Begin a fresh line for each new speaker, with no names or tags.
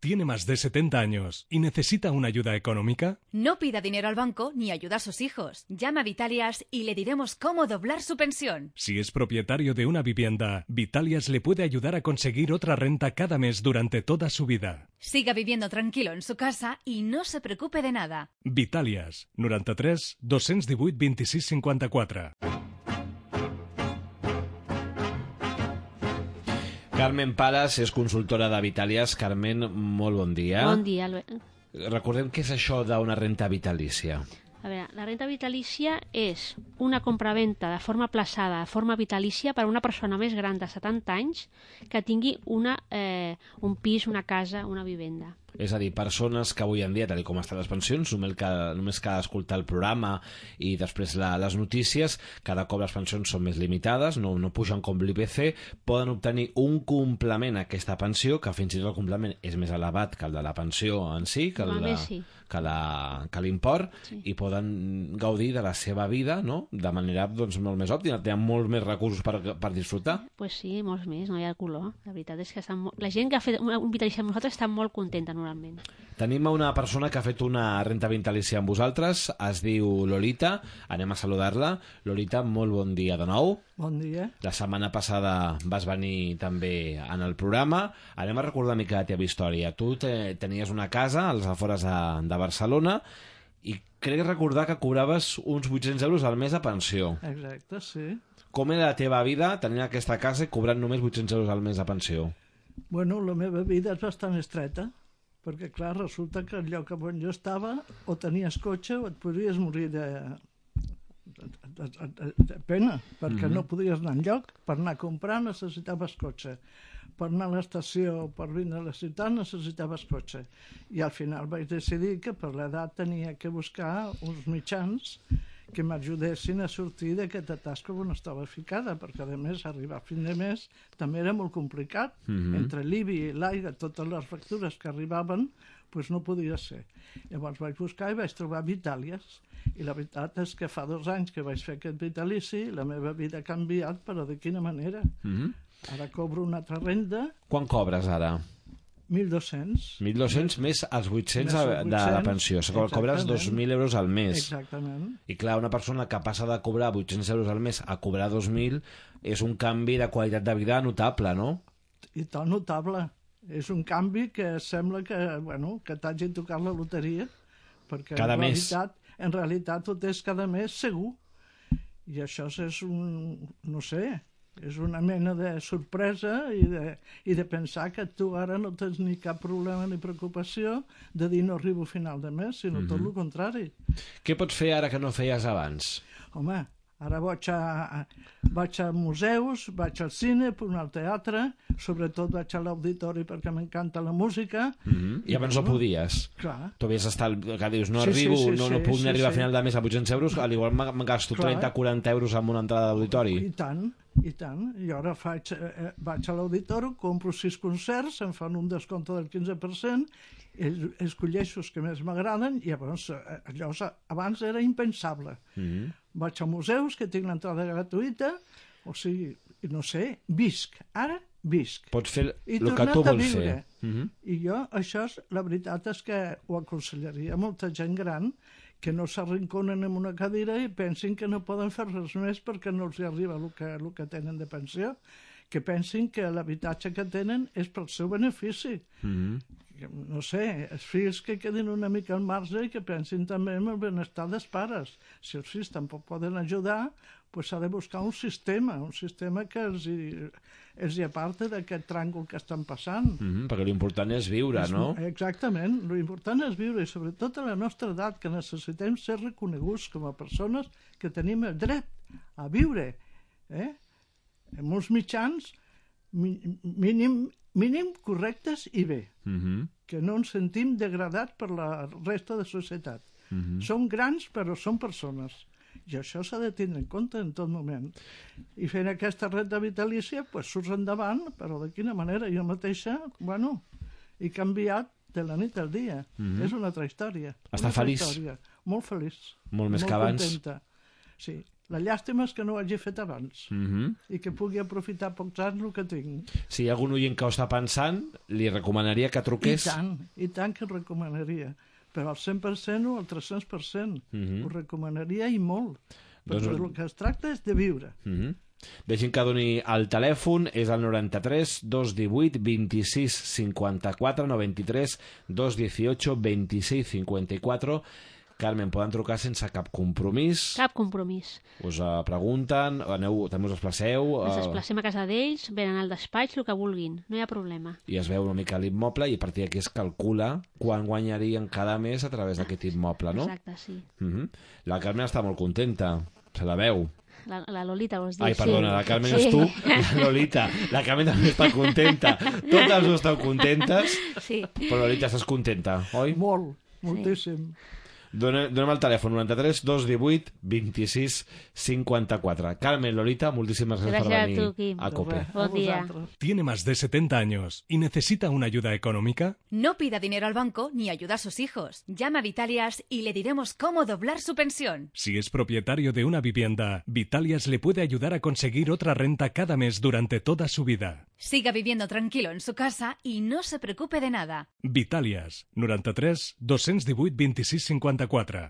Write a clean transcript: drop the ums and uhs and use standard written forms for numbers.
tiene más de 70 años y necesita una ayuda económica?
No pida dinero al banco ni ayuda a sus hijos. Llama a Vitalias y le diremos cómo doblar su pensión.
Si es propietario de una vivienda, Vitalias le puede ayudar a conseguir otra renta cada mes durante toda su vida.
Siga viviendo tranquilo en su casa y no se preocupe de nada.
Vitalias, 93 218 26 54.
Carmen Palas és consultora de Vitalias. Carmen, molt bon dia.
Bon dia.
Recordem què és això d'una renta vitalícia.
A veure, la renta vitalícia és una compraventa de forma plaçada, de forma vitalícia per a una persona més gran de 70 anys que tingui un pis, una casa, una vivenda.
És a dir, persones que avui en dia, tal com estan les pensions, només cal escoltar el programa i després les notícies, cada cop les pensions són més limitades, no pugen com l'IPC, poden obtenir un complement a aquesta pensió, que fins i tot el complement és més elevat que el de la pensió en si, que l'import, sí. I poden gaudir de la seva vida, no?, de manera molt més òptima, tenen molts més recursos per disfrutar.
Pues sí, molts més, no hi ha color. La veritat és que la gent que ha fet un vitalici amb nosaltres està molt contenta normalment.
Tenim una persona que ha fet una renta vitalícia amb vosaltres, es diu Lolita, anem a saludar-la. Lolita, molt bon dia de nou.
Bon dia.
La setmana passada vas venir també en el programa. Anem a recordar una mica la teva història. Tu tenies una casa als afores de Barcelona i crec recordar que cobraves uns 800 euros al mes de pensió.
Exacte, sí.
Com era la teva vida tenint aquesta casa i cobrant només 800 euros al mes de pensió?
Bueno, la meva vida és bastant estreta, perquè, clar, resulta que el lloc on jo estava o tenies cotxe o et podries morir de pena, perquè no podies anar enlloc. Per anar a comprar necessitaves cotxe. Per anar a l'estació, per vindre a la ciutat, necessitaves cotxe. I al final vaig decidir que per l'edat tenia que buscar uns mitjans que m'ajudessin a sortir d'aquest atasc on estava ficada, perquè a més arribar a fin de mes també era molt complicat. Entre l'IBI i l'aigua, totes les factures que arribaven, doncs no podia ser. Llavors vaig buscar i vaig trobar Vitalias, i la veritat és que fa 2 anys que vaig fer aquest vitalici, la meva vida ha canviat, però de quina manera? Ara cobro una altra renda.
Quan cobres ara?
1.200.
1.200 més els 800 de la pensió. Cobres 2.000 euros al mes.
Exactament.
I clar, una persona que passa de cobrar 800 euros al mes a cobrar 2.000 és un canvi de qualitat de vida notable, no?
I tot notable. És un canvi que sembla que t'hagi tocat la loteria, perquè
cada mes.
En realitat ho tens cada mes segur. I això és no sé, és una mena de sorpresa i de pensar que tu ara no tens ni cap problema ni preocupació de dir no arribo a final de mes, sinó tot el contrari.
Què pots fer ara que no feies abans?
Home, ara vaig a museus, vaig al cine, al teatre, sobretot vaig a l'auditori perquè m'encanta la música.
I abans no podies?
Clar.
Tu havies estat, que dius, no puc ni arribar a final de mes a 800 euros, al igual me gasto 30-40 euros amb una entrada d'auditori.
I tant. I ara vaig a l'auditori, compro 6 concerts, em fan un descompte del 15%, escolleixo els que més m'agraden, i llavors allò abans era impensable. Vaig a museus, que tinc l'entrada gratuïta, o sigui, no sé, visc. Ara visc.
Pots fer el que tu vols fer.
I jo, la veritat és que ho aconsellaria a molta gent gran que no s'arrinconen en una cadira i pensin que no poden fer res més perquè no els arriba el que tenen de pensió, que pensin que l'habitatge que tenen és pel seu benefici. No sé, els fills que quedin una mica al marge i que pensin també en el benestar dels pares. Si els fills tampoc poden ajudar, doncs s'ha de buscar un sistema que els hi aparta d'aquest tràngol que estan passant.
Perquè l'important és viure, no?
Exactament, l'important és viure, i sobretot a la nostra edat, que necessitem ser reconeguts com a persones que tenim el dret a viure. Amb uns mitjans mínim correctes i bé, que no ens sentim degradats per la resta de societat. Som grans, però som persones. I això s'ha de tindre en compte en tot moment. I fent aquesta renta vitalícia, doncs surts endavant, però de quina manera? Jo mateixa, he canviat de la nit al dia. És una altra història.
Està feliç?
Molt feliç.
Molt més que abans?
Contenta. Sí. La llàstima és que no ho hagi fet abans i que pugui aprofitar pocs anys el que tinc.
Si hi ha algun oient que ho està pensant, li recomanaria que truqués.
I tant que recomanaria. Però al 100% o al 300%. Ho recomanaria i molt. Perquè el que es tracta és de viure.
Deixin que doni el telèfon, és el 93 218 26 54, 93 218 26 54. Carmen, poden trucar sense cap compromís.
Cap compromís.
Us pregunten, també us desplaceu.
Ens desplacem a casa d'ells, venen al despatx, el que vulguin, no hi ha problema.
I es veu una mica l'immoble i a partir d'aquí es calcula quan guanyarien cada mes a través d'aquest immoble, no?
Exacte, sí.
La Carmen està molt contenta, se la veu.
La Lolita, vols dir?
Ai, perdona, la Carmen és tu, la Lolita. La Carmen també està contenta. Totes no esteu contentes, però Lolita, estàs contenta, oi?
Molt, moltíssim.
Donem el telèfon, 93 218 26 54. Carmen, Lolita, moltíssimes gràcies per venir a COPE.
Bon día.
¿Tiene más de 70 años y necesita una ayuda económica?
No pida dinero al banco ni ayuda a sus hijos. Llama a Vitalias y le diremos cómo doblar su pensión.
Si es propietario de una vivienda, Vitalias le puede ayudar a conseguir otra renta cada mes durante toda su vida.
Siga viviendo tranquilo en su casa y no se preocupe de nada.
Vitalias, 93 218 26 54.